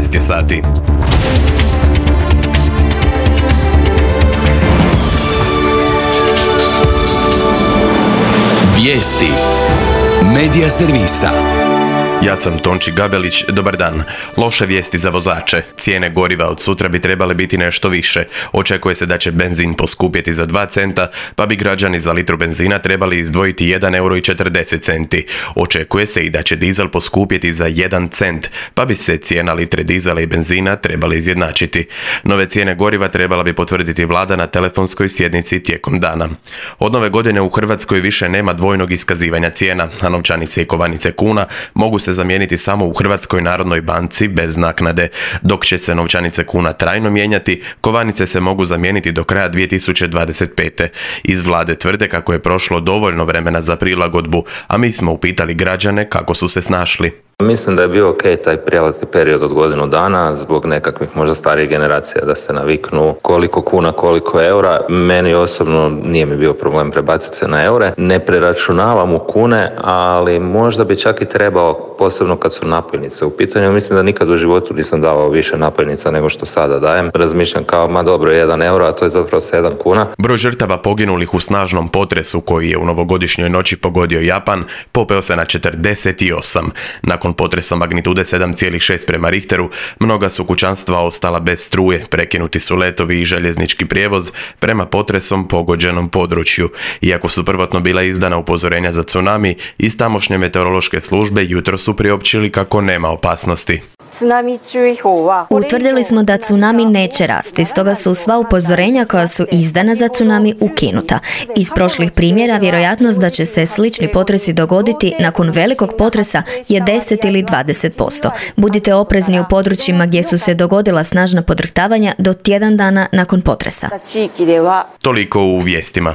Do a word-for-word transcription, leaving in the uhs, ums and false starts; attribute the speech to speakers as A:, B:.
A: jedanaest je sati.
B: Vijesti Medija servisa.
A: Ja sam Tonči Gabelić, dobar dan. Loše vijesti za vozače. Cijene goriva od sutra bi trebale biti nešto više. Očekuje se da će benzin poskupjeti za dva centa, pa bi građani za litru benzina trebali izdvojiti jedan euro i četrdeset centi. Očekuje se i da će dizel poskupjeti za jedan cent, pa bi se cijena litre dizela i benzina trebali izjednačiti. Nove cijene goriva trebala bi potvrditi vlada na telefonskoj sjednici tijekom dana. Od nove godine u Hrvatskoj više nema dvojnog iskazivanja cijena, a novčanice i kovanice kuna mogu se zamijeniti samo u Hrvatskoj narodnoj banci bez naknade. Dok će se novčanice kuna trajno mijenjati, kovanice se mogu zamijeniti do kraja dvije tisuće dvadeset pete. Iz vlade tvrde kako je prošlo dovoljno vremena za prilagodbu, a mi smo upitali građane kako su se snašli.
C: Mislim da je bio ok taj prijelazni period od godinu dana zbog nekakvih možda starijih generacija da se naviknu koliko kuna, koliko eura. Meni osobno nije mi bio problem prebaciti se na eure. Ne preračunavam u kune, ali možda bi čak i trebao, posebno kad su napojnice u pitanju. Mislim da nikad u životu nisam davao više napojnica nego što sada dajem. Razmišljam kao, ma dobro, jedan euro, a to je zapravo sedam kuna.
A: Broj žrtava poginulih u snažnom potresu koji je u novogodišnjoj noći pogodio Japan popeo se na četrdeset osam. Nakon potresa magnitude sedam zarez šest prema Richteru, mnoga su kućanstva ostala bez struje, prekinuti su letovi i željeznički prijevoz prema potresom pogođenom području. Iako su prvotno bila izdana upozorenja za tsunami, iz tamošnje meteorološke službe jutro su priopćili kako nema opasnosti.
D: Utvrdili smo da tsunami neće rasti, stoga su sva upozorenja koja su izdana za tsunami ukinuta. Iz prošlih primjera vjerojatnost da će se slični potresi dogoditi nakon velikog potresa je deset ili dvadeset posto. Budite oprezni u područjima gdje su se dogodila snažna podrhtavanja do tjedan dana nakon potresa.
A: Toliko u vijestima.